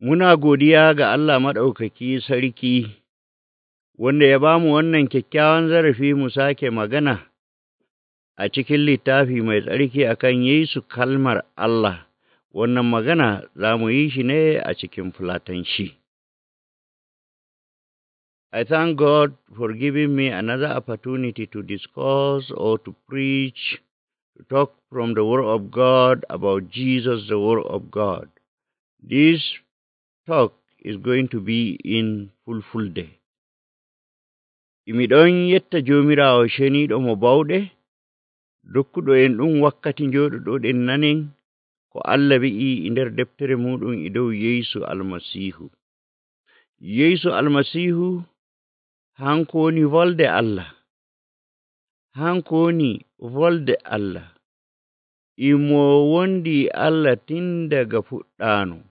Muna godiya ga Allah Maɗaukaki Sarki, wanda ya ba mu wannan kyakkyawan zarafi mu sake magana a cikin littafi mai tsarki akan Yesu kalmar Allah. Wannan magana za mu yi shi ne a cikin Fulatanci. I thank God for giving me another opportunity to discuss or to preach, to talk from the Word of God about Jesus, the Word of God. This talk is going to be in full day. Imi ɗon yetta Joomiraawo ceniiɗo mo bawɗe, dokkuɗo en ɗum wakkati njooɗoɗen nanen ko Allah wi'i e nder deftere muɗum e dow Yeesu Almasiihu. Yeesu Almasiihu hanko woni volde Allah. Hanko woni volde Allah. Imo wondi Allah tin daga fuɗɗaano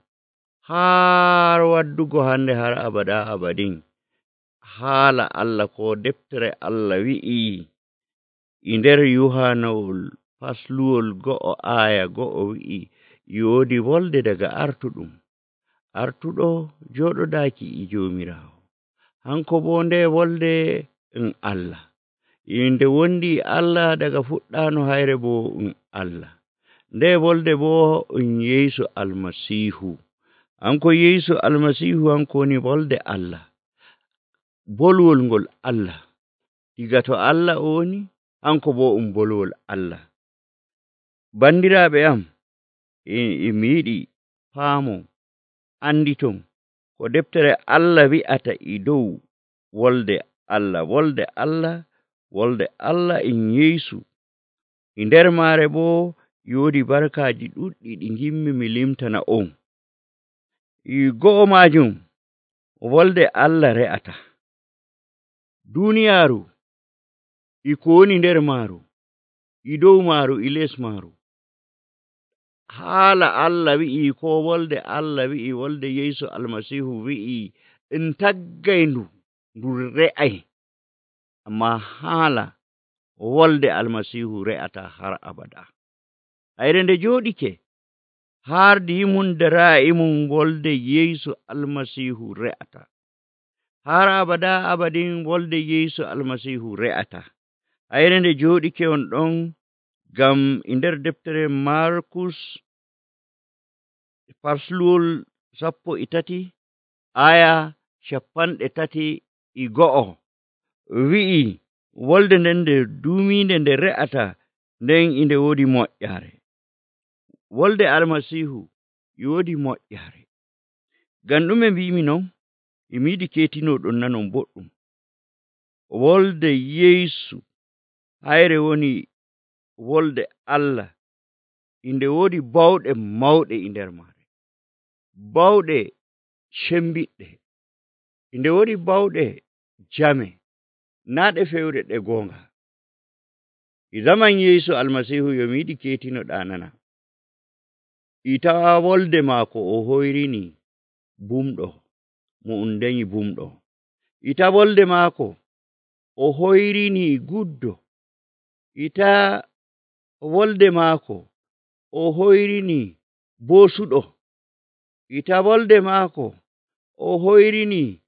har waddugo hande har abada abadin. Haala Allah ko deftere Allah wi'i e nder Yohanawol fasluwol 1 aya 1 wi'i yoodi volde daga artuɗum. Artuɗo jooɗodaaki e Joomiraawo. Hanko bo nde volde Allah. Inde wondi Allah daga fuɗɗaano hayre bo Allah. Nde volde bo Yeesu Almasiihu. Hanko Yeesu Almasiihu hanko woni volde Allah. Bolwol ngol Allah. Diga to Allah o woni, hanko bo bolwol Allah. Bandiraaɓe am, mi yiɗi paamo anditon ko deftere Allah wi'ata e dow wolde Allah. Wolde Allah, wolde Allah in Yeesu. E nder maare bo yoodi barkaaji ɗuɗɗi ɗi ngimmi mi limtana on. Go'o majum wolde Allah re'ata. Duniyaaru e ko woni nder maaru, e dow maaru, e les maaru. Haala Allah wi'i ko wolde Allah wi'i, wolde Yeesu Almasiihu wi'i en taggay ndu re'ay. Amma haala wolde Almasiihu re'ata har abada. Hayre nde jooɗike har dimum dara'imum wolde Yeesu Almasiihu re'ata. Har abada abadin wolde Yeesu Almasiihu re'ata. Hayre nde jooɗike on ɗon ngam e nder deftere Markus fasluwol 13 aya 31 wi'i wolde nden nde duuminde nde re'ata nden inde woodi moƴƴaare. Wolde Almasiihu yoodi moƴƴaare. Ngam ɗume mbimi non? Emi yiɗi keetinoɗon nanon boɗɗum. Wolde Yeesu hayre woni wolde Allah. Inde woodi bawɗe mawɗe e nder maare. Bawɗe cembiɗɗe. Inde woodi bawɗe jame. Naa ɗe fewre ɗe goonga. E zaman Yeesu Almasiihu yo mi yiɗi keetinoɗaa nana. E tawa wolde maako o hoyrini bumɗo mo dañi bumɗo. E tawa wolde maako o hoyrini guddo. E tawa wolde maako o hoyrini boosuɗo. E tawa wolde maako o hoyrini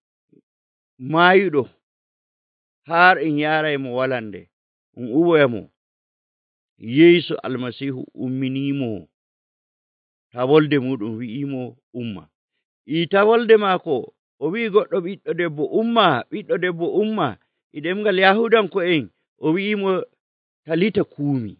maayuɗo har en yaraymo walande uwoyamo. Yeesu Almasiihu umminimo. Ta wolde muɗum wi'imo umma. E tawa wolde maako o wi'i goɗɗo ɓiɗɗo debbo umma, ɓiɗɗo debbo umma. E ɗemngal Yahudanko'en o wi'imo talita kuumi.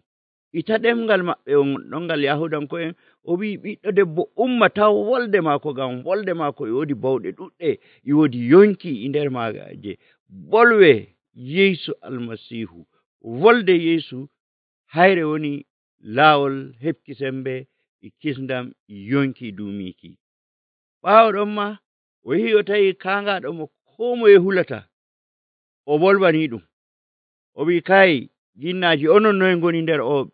E ta ɗemngal maɓɓe on ɗon ngal Yahudanko'en o wi'i ɓiɗɗo debbo umma. Taw wolde maako ngam wolde maako e woodi bawɗe ɗuɗɗe, e woodi yonki e nder maaje bolwe Yeesu Almasiihu. Wolde Yeesu hayre woni laawol heɓki sembe e kisndam e yonki duumiki. Ɓaawo ɗon ma o yehi o tawi kaangaaɗo mo koo moye hulata, o bolwani ɗum. O wi'i kay jinnaaji onon noye ngoni nder o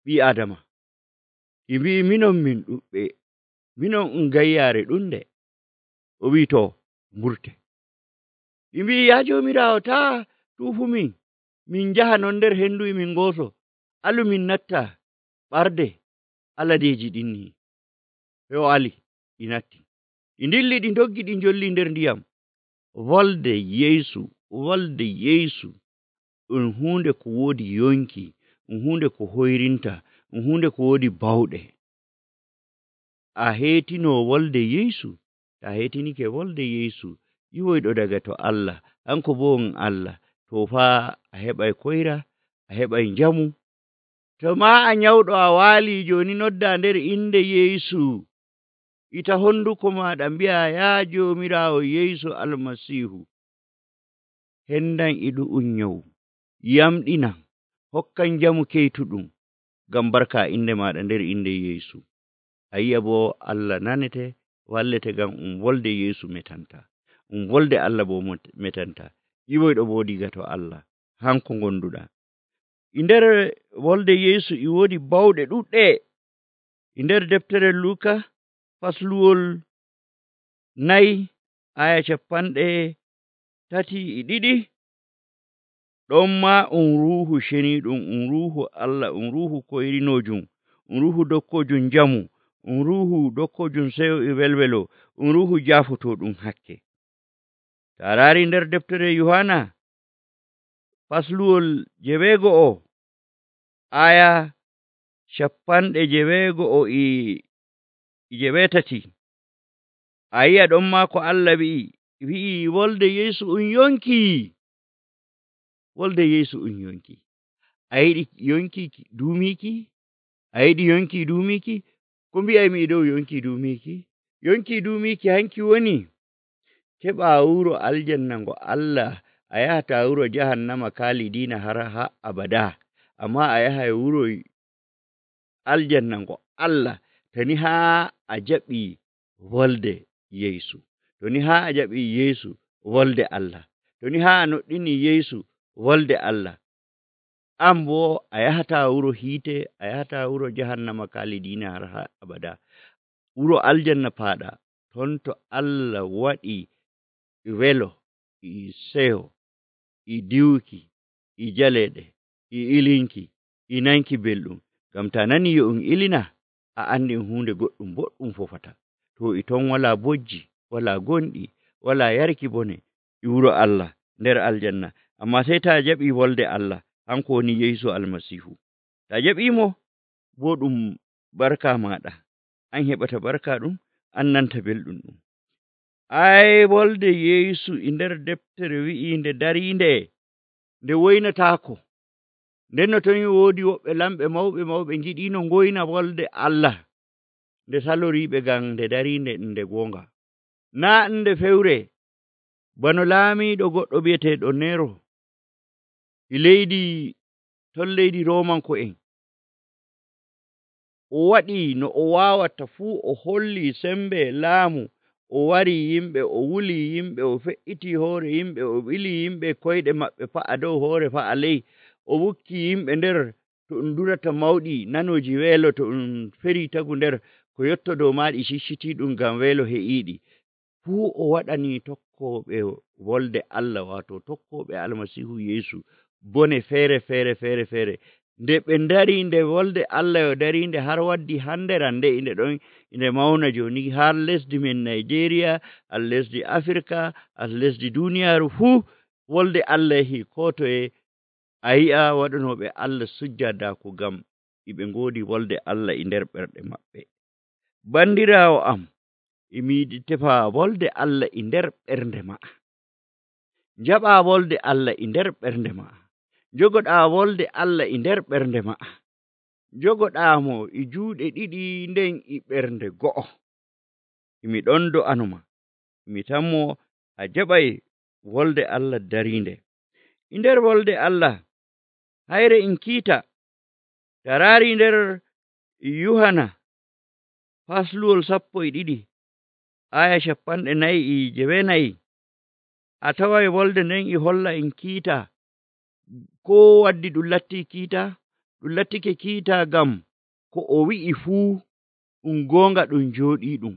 ɓii Adama? E mbi'i minon min ɗuɓɓe, minon gayyaare ɗunde. O wi'i to mburte. Ɓe mbi'i yaa Joomiraawo taa tuufumin, min njaha non nder henndu min ngooso. Alu min natta ɓarde aladeeji ɗin ni. O ali ɗi natti. ɗi dilli ɗi doggi ɗi jolli nder ndiyam. Wolde Yeesu ɗum hunde ko woodi yonki, ɗum hunde ko hoyrinta, ɗum hunde ko woodi bawɗe. A heetino wolde Yeesu? Ta heetinike wolde Yeesu, yiwoyɗo daga to Allah, hanko bo on Allah, to fa a heɓay koyra, a heɓay njamu. To ma a nyawɗo a waali jooni, nodda nder inde Yeesu, ita honduko maɗa mbi'a, ya Joomiraawo Yeesu Almasiihu, hendan e ɗu'um nyawu, yamɗina, hokkan njamu keytuɗum, ngam barka inde maɗa nder inde Yeesu. A yi'a bo Allah nanete, wallete, ngam wolde Yeesu metanta, wolde Allah bo metanta. Yiwoyɗo bo diga to Allah, hanko gonduɗa. E nder wolde Yeesu e woodi bawɗe ɗuɗɗe. E nder deftere Luuka fasluwol 4 aya 32, ɗon ma Ruuhu Ceniiɗum, Ruuhu Allah, Ruuhu koyrinojum, Ruuhu dokkojum njamu, Ruuhu dokkojum seyo e welwelo, Ruuhu jaafotoɗum hakke. Ta raari nder deftere Yohana fasluwol 9 aya 98, a yi'a ɗon ma ko Allah wi'i wolde Yeesu yonki. Wolde Yeesu yonki. A yiɗi yonki duumiki? A yiɗi yonki duumiki? Ko mbi'aymi dow yonki duumiki? Yonki duumiki hanki woni keɓa wuro aljanna ngo Allah, a yahata wuro jahannama kalidina har abada, amma a yahay wuro aljanna ngo Allah tani haa a jaɓi wolde Yeesu, toni haa a jaɓi Yeesu wolde Allah, toni haa a noddini Yeesu wolde Allah, an bo a yahata wuro hiite, a yahata wuro jahannama kalidina har abada. Wuro aljanna paɗa ton to Allah waɗi welo, e seyo, e diwki, e jaleɗe, e ilinki, e nanki belɗum. Ngam ta nani yo ilina, a andi hunde goɗɗum boɗɗum fofata. To e ton wala bojji, wala gonɗi, wala yarki bone e wuro Allah nder aljanna. Amma sai ta jaɓi wolde Allah, hanko woni Yeesu Almasihu. Ta jaɓimo bo ɗum barka maɗa, an heɓata barka ɗum, an nanta belɗum ɗum. Ai wolde Yeesu e nder deftere wi'i nde darinde, nde woynatako. Nden no ton woodi woɓɓe lamɓe mawɓe ngiɗino ngoyna wolde Allah, nde saloriɓe ngam nde darinde nde gonga. Na nde fewre, bano laamiɗo goɗɗo bi'eteɗo Nero e leydi Romanko'en. O waɗi no o wawata fuu, o holli sembe laamu, o wari yimɓe, o wuli yimɓe, o fe'iti hoore yimɓe, o ɓili yimɓe koyɗe maɓɓe fa'a dow, hoore fa'a ley, o wukki yimɓe nder to ɗum durata mawɗi nanoji weelo, to ɗum feri tagu nder ko yotto dow maaɗi cicciti ɗum ngam weelo he'iɗi. Fuu o waɗani tokkoɓe wolde Allah, wato tokkoɓe Almasihu Yeesu, bone fere. Nde ɓe dari nde wolde Allah yo darinde har waddi handera nde inde ɗon inde mauna joni har lesdi men Nigeria, har lesdi Afrika, har lesdi duniyaaru fuu wolde Allah yahi ko toye. A yi'a waɗanoɓe Allah sujjadaku ngam iɓe ngodi wolde Allah e nder ɓerɗe maɓɓe. Bandirawo am, emi yiɗi tefa wolde Allah e nder ɓernde ma'a. Jaɓa wolde Allah e nder ɓernde ma'a. Jogoɗa wolde Allah e nder ɓernde ma'a. Jogoɗamo e juuɗe ɗiɗi nden e ɓernde go'o. Emi ɗon do'anoma, mi tammo a jaɓay wolde Allah darinde. E nder wolde Allah hayre en kiita, tarari nder Yohana fasluwol 12 aya 49, a taway wolde nden e holla en kiita. Ko waddi ɗum latti kiita? Ɗum lattike kiita ngam ko o wi'i fuu ɗum gonga, ɗum jooɗi ɗum.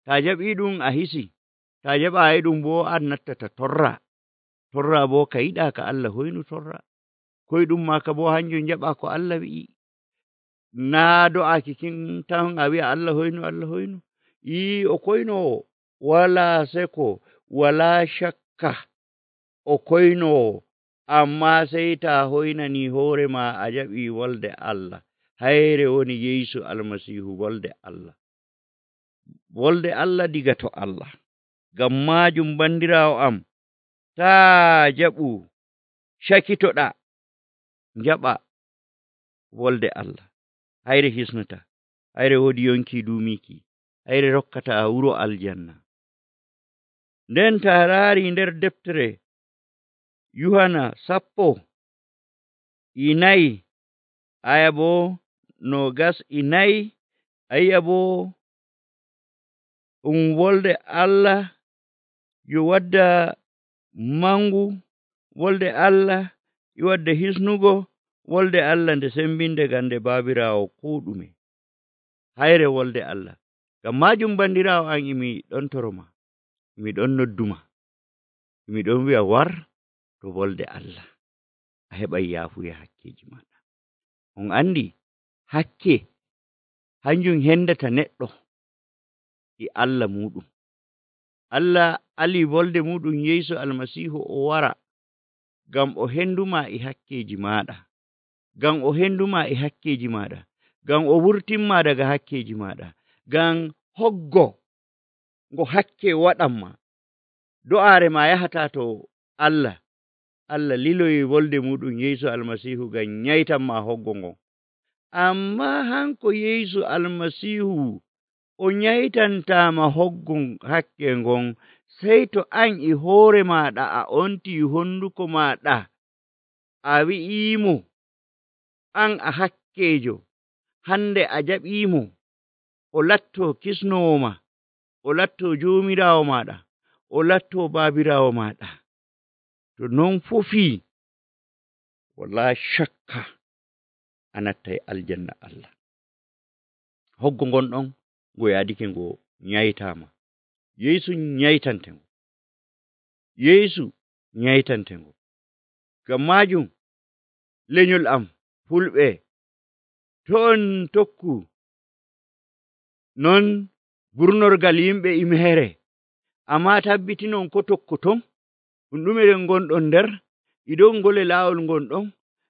Ta jaɓi ɗum a hisi, ta jaɓayi ɗum bo an nattata torra bo ka yiɗa ka Allah hoynu torra. Koyɗum maka bo hanjum jaɓa ko Allah wi'i. Na do'aki kin tan a wi'a Allah hoynu. O koynowo, walaa seko, walaa shakka o koynowo, ammaa sey taa hoynanii hoore maa a jaɓii wolde Allah. Hayre woni Yeesu Almasiihu, wolde Allah. Wolde Allah diga to Allah. Ngam maajum bandiraawo am, taa jaɓu cakitoɗaa, jaɓa wolde Allah. Hayre hisnata, hayre woodi yonki duumiki, hayre rokkata wuro aljanna. Nden taa raari nder deftere Yuhana 14 aya boo 24, a yi'a boo wolde Allah yo wadda mangu, wolde Allah yo wadda hisnugo, wolde Allah nde sembinde gande baabiraawo koo ɗume. Hayre wolde Allah. Ngam maajum bandiraawo an imi ɗon toroma, imi ɗon nodduma, imi ɗon wi'a war to wolde Allah, a heɓay yaafuya hakkeji maɗa. On andi hakke hanjum hendata neɗɗo e Allah muɗum. Allah ali wolde muɗum Yeesu Almasiihu o wara ngam o henduma e hakkeji maɗa, ngam o henduma e hakkeji maɗa, ngam o wurtinma daga hakkeji maɗa, ngam hoggo ngo hakke waɗanma. Do'aare ma yahata to Allah. Allah liloyi wolde muɗum Yeesu Almasiihu ngam nyaytanma hoggo ngon. Amma hanko Yeesu Almasiihu o nyaytantama hoggo hakke ngon, sey to an e hoore maɗa a onti honduko maɗa a wi'imo an a hakkejo, hande a jaɓimo, o latto kisnowo ma, o latto joomiraawo maɗa, o latto baabiraawo maɗa. To non fofi, wala shakka a nattay aljanna Allah. Hoggo ngon ɗon ngo yaadike ngo nyaytama. Yeesu nyaytante ngo. Yeesu nyaytante ngo. Ngam maajum lenyol am fulɓe, to on tokku non burnorgal yimɓe imere, amma tabbitinon ko tokkoton ɗume ɗen gonɗon nder, e dow ngole laawol gonɗon,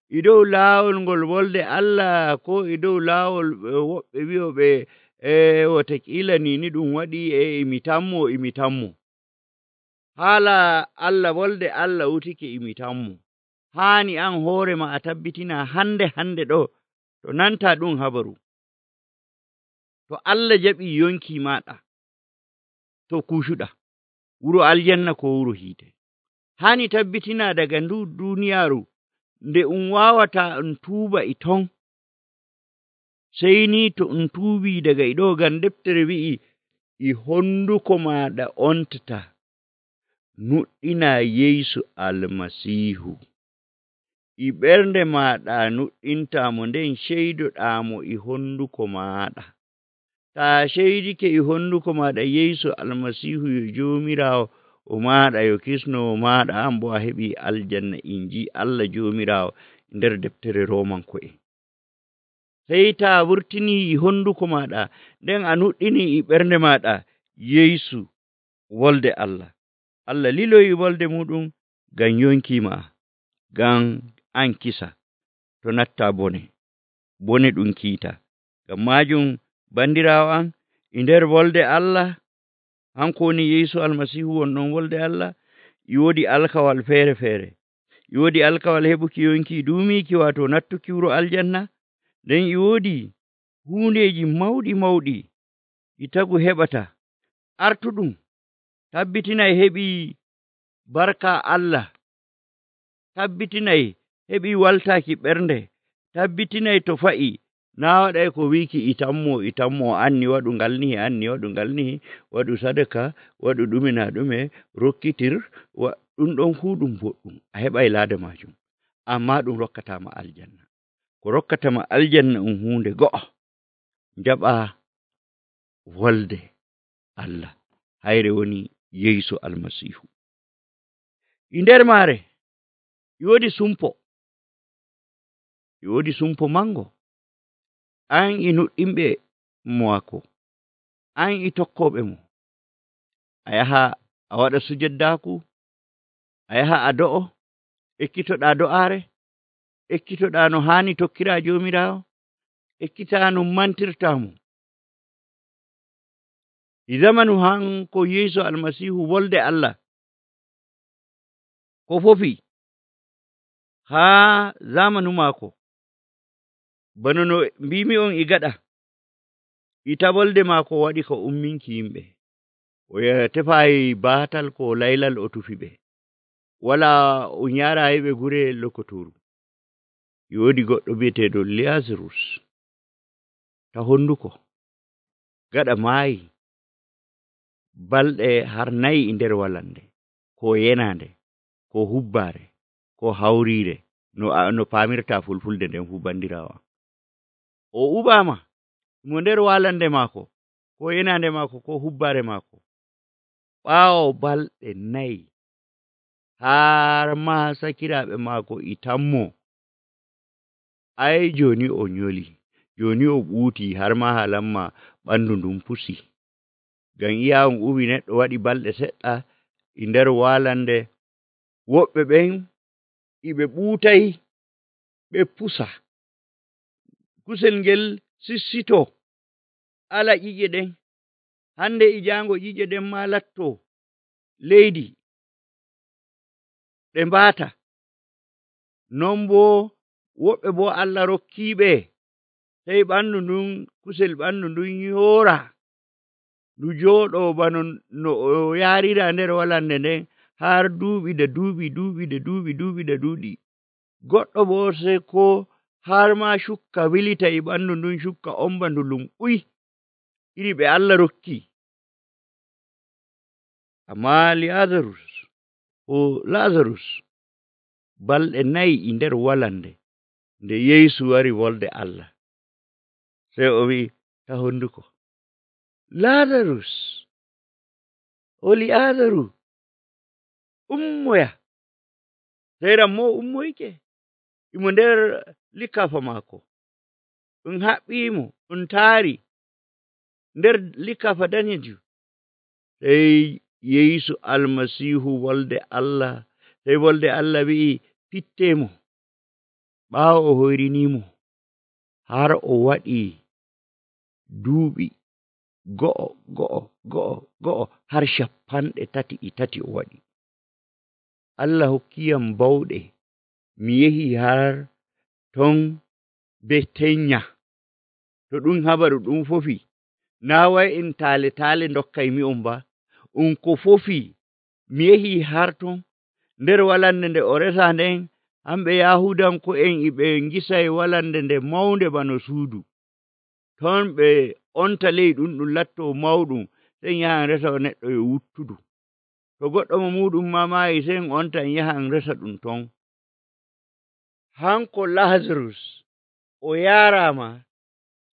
e dow laawol ngol wolde Allah, ko e dow laawol woɓɓe wi'oɓe watakiila ni ɗum waɗi imi tammo. Haala Allah, wolde Allah wutike imi tammo. Haani an hoore ma a tabbitina hande ɗo to nanta ɗum habaru, to Allah jaɓi yonki maɗa, to kushuɗa wuro aljanna ko wuro hiite. Hani tabbitina daga ndu duniyaaru nde wawata tuuba e ton, sey ni to tuubi daga e ɗo, ngam deftere wi'i e honduko maɗa ontata nuɗɗina Yeesu Almasiihu, e ɓernde maɗa nuɗɗintamo, nden ceydoɗamo e honduko maɗa. Ta ceydike e honduko maɗa Yeesu Almasiihu yo joomiraawo o maɗa, yo kisnowo maɗa, an bo a heɓi aljanna inji Allah joomiraawo nder deftere Romanko'en. Sey ta wurtini e honduko maɗa, nden a nuɗɗini e ɓernde maɗa Yeesu wolde Allah. Allah liloyi wolde muɗum ngam yonkima, ngam an kisa to natta bone ɗum kiita. Ngam maajum bandiraawo an, e nder wolde Allah, hanko woni Yeesu Almasiihu wonɗon wolde Allah, e woodi alkawal feere. E woodi alkawal heɓuki yonki duumiki, wato nattuki wuro aljanna. Nden e woodi hundeji mawɗi e tagu heɓata. Artuɗum tabbitinay heɓi barka Allah, tabbitinay heɓi waltaki ɓernde, tabbitinay to fa'i na waɗay ko wiki itammo, anni waɗu ngal ni, waɗu sadaka, waɗu ɗume na ɗume, rokkitir, ɗum ɗon fuu ɗum boɗɗum, a heɓay laada majum, amma ɗum rokkatama aljanna. Ko rokkatama aljanna hunde go'o, jaɓa wolde Allah. Hayre woni Yeesu Almasiihu. E nder maare e woodi sumpo mango. An e nuɗɗinɓe maako, an e tokkoɓe mo, a yaha a waɗa sujaddaku, a yaha a do'o, ekkitoɗaa do'aare, ekkitoɗaa no haani tokkiraa Joomiraawo, ekkitaa no mantirtaa mo. E zamanu hanko Yeesu Almasiihu wolde Allah ko fofi haa zamanu maako, bano no mbimi on e gaɗa, e tabolde maako waɗi ko umminki yimɓe. O tefaayi baatal ko laylal o tufi ɓe. Walaa o nyaaraayi ɓe gure lokotooru. E woodi goɗɗo bi'eteeɗo Lazarus ta honduko, gaɗa maayi balɗe har 4 e nder walande, ko yenande, ko hubbaare, ko hawriire, no paamirtaa fulfulde nden fuu bandiraawo. O uɓaama mo nder walande maako, ko yenande maako, ko hubbaare maako. Ɓaawo balɗe 4 har maa sakiraaɓe maako e tammo. Ai jooni o nyoli, jooni o ɓuutii har maa halamma ɓandu ndun pusi. Ngam iya on uwi neɗɗo waɗi balɗe seɗɗa e nder walande, woɓɓe ɓen e ɓe ɓuutay ɓe pusa. Kusel ngel sissito ala ƴiƴe ɗen, hande e jaango ƴiƴe ɗen maa latto leydi ɗe mbaata. Non boo woɓɓe boo Allah rokkiiɓe sey ɓandu ndun, kusel ɓandu ndun yoora, ndu jooɗoo bano no o yaariraa nder walande nden har duuɓi da duuɓi. Goɗɗo boo sey ko har maa cukka wilita e ɓandu ndun, cukka omba ndulum ɓuy, iri ɓe Allah rokki. Ammaa Lazarus balɗe 4 e nder walande, nde Yeesu wari wolde Allah, sey o wi'i ta honduko, Lazarus, o Li'aazaru, ummoya. Sey rammoo ummoyke, imo nder likafa maako, ɗum haɓɓiimo, ɗum taari nder likafa danejum. Sey Yeesu Almasiihu wolde Allah, sey wolde Allah wi'i pitteemo, ɓaawo o hoyriniimo har o waɗi duuɓi go'o har 33 o waɗi. Allah hokkiyam bawɗe, mi yehi har ton be tenya. To ɗum habaru ɗum fofi, naa way en taale dokkay mi'on ba, ko fofi mi yehi har ton nder walande nde o resa nden, hamɓe Yahudanko'en e ɓe ngisay walande nde mawnde bano suudu. Ton ɓe onta ley ɗum lattoo mawɗum, sey yaha resa neɗɗo yo wuttudu. To goɗɗo mo muɗum maayi, sey onta yaha resa ɗum ton. Hanko Lazarus o yaaraama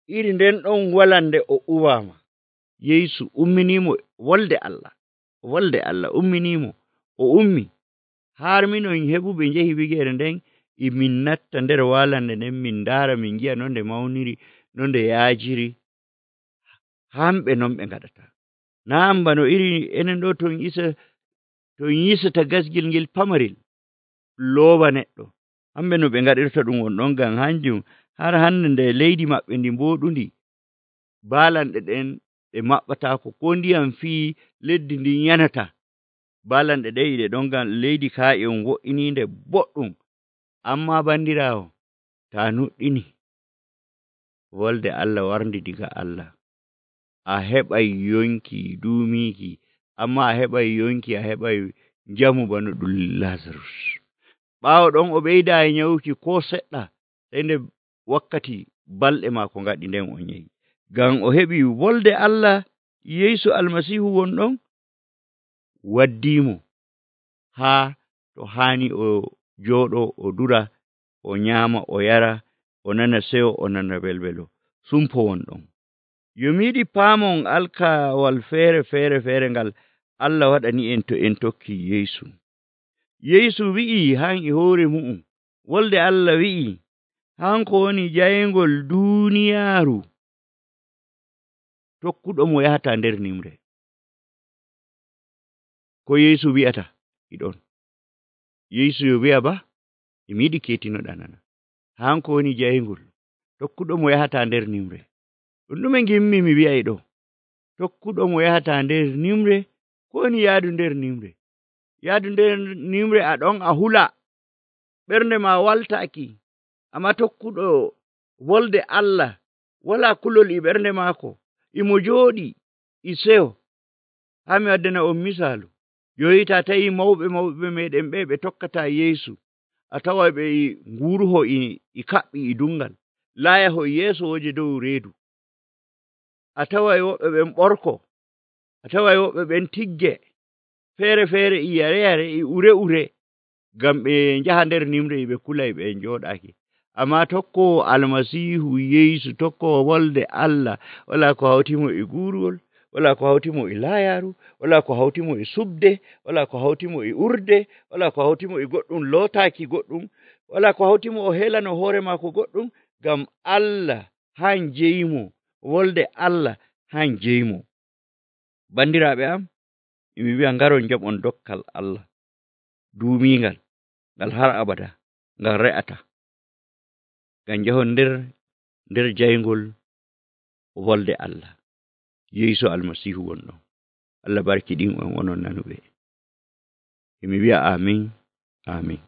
iri nden ɗon walande o uwaama. Yeesu umminiimo wolde Allah umminiimo, o ummi har minon heɓuɓe njehi wigeere nden e min natta nder walande nden min ndaara, min ngi'a no nde mawniri, no nde yaajiri. Hamɓe non ɓe ngaɗata. Naam bano iri enen ɗo ton yisata gasgel ngel pamarel looba neɗɗo, hamɓe no ɓe ngaɗirta ɗum wonɗon. Ngam hanjum har hande nde leydi maɓɓe ndi mbooɗundi, baalanɗe ɗen ɗe maɓɓataako, ko ndiyam fii leddi ndin yanata. Baalanɗe ɗe e ɗe ɗon, ngam leydi kaa e on wo'iniinde boɗɗum. Ammaa bandiraawo, ta nuɗɗini wolde Allah warndi diga Allah, a heɓay yonki duumiiki, amma a heɓay yonki, a heɓay njamu bano ɗum Lazarus. Ɓaawo ɗon o ɓeydaayi nyawuki ko seɗɗa, sey nde wakkati balɗe maako ngaɗi nden o nyawi. Ngam o heɓi wolde Allah, Yeesu Almasiihu wonɗon waddiimo haa to haani o jooɗoo, o dura, o nyaama, o yara, o nana seyo, o nana welwelo. Sumpo wonɗon. Yo mi yiɗi paamon alkawal feere ngal Allah waɗani en to en tokki Yeesu. Yeesu wi'i han e hoore mu'um, wolde Allah wi'i hanko woni jayngol duuniyaaru, tokkuɗo mo yahata nder nimre. ko Yeesu wi'ata iɗon. Yeesu yo wi'a ba emi yiɗi ketinoɗa nana. Hanko woni jayngol, tokkuɗo mo yahata nder nimre. Ɗum ɗume ngimmi mi wi'ay ɗo? Tokkuɗo mo yahata nder nimre, ko woni yaadu nder nimre? Yaadu nder nimre a ɗon a hula, ɓernde ma waltaaki, amma tokkuɗo wolde Allah wala kulol e ɓernde maako, imo jooɗi e seyo. Haa mi waddana on misaalu, joyi ta tawi mawɓe meɗen ɓe tokkata Yeesu, a tawa ɓe nguruho e kaɓɓi e dungal, laayaho yeeso woje dow reedu. A taway woɓɓe ɓen ɓorko, a taway woɓɓe ɓen tigge, feere e yare e ure ngam ɓe njaha nder nimre ɓe kulay ɓe njooɗaaki. Amma tokkowo Almasiihu Yeesu, tokkowo wolde Allah, wala ko hawtimo e guurugol, wala ko hawtimo e laayaaru, wala ko hawtimo e subde, wala ko hawtimo e urde, wala ko hawtimo e goɗɗum lootaaki goɗɗum, wala ko hawtimo o helano hoore maako goɗɗum, ngam Allah han jeyimo, wolde Allah han jeyimo. Bandiraaɓe am, emi wi'a ngaron njaɓon dokkal Allah duumiingal, ngal har abada, ngal re'ata, ngam njahon nder jayngol wolde Allah. Yeesu Almasiihu wonɗon. Allah barkiɗin on onon nanuɓe. Emi wi'a amin, amin.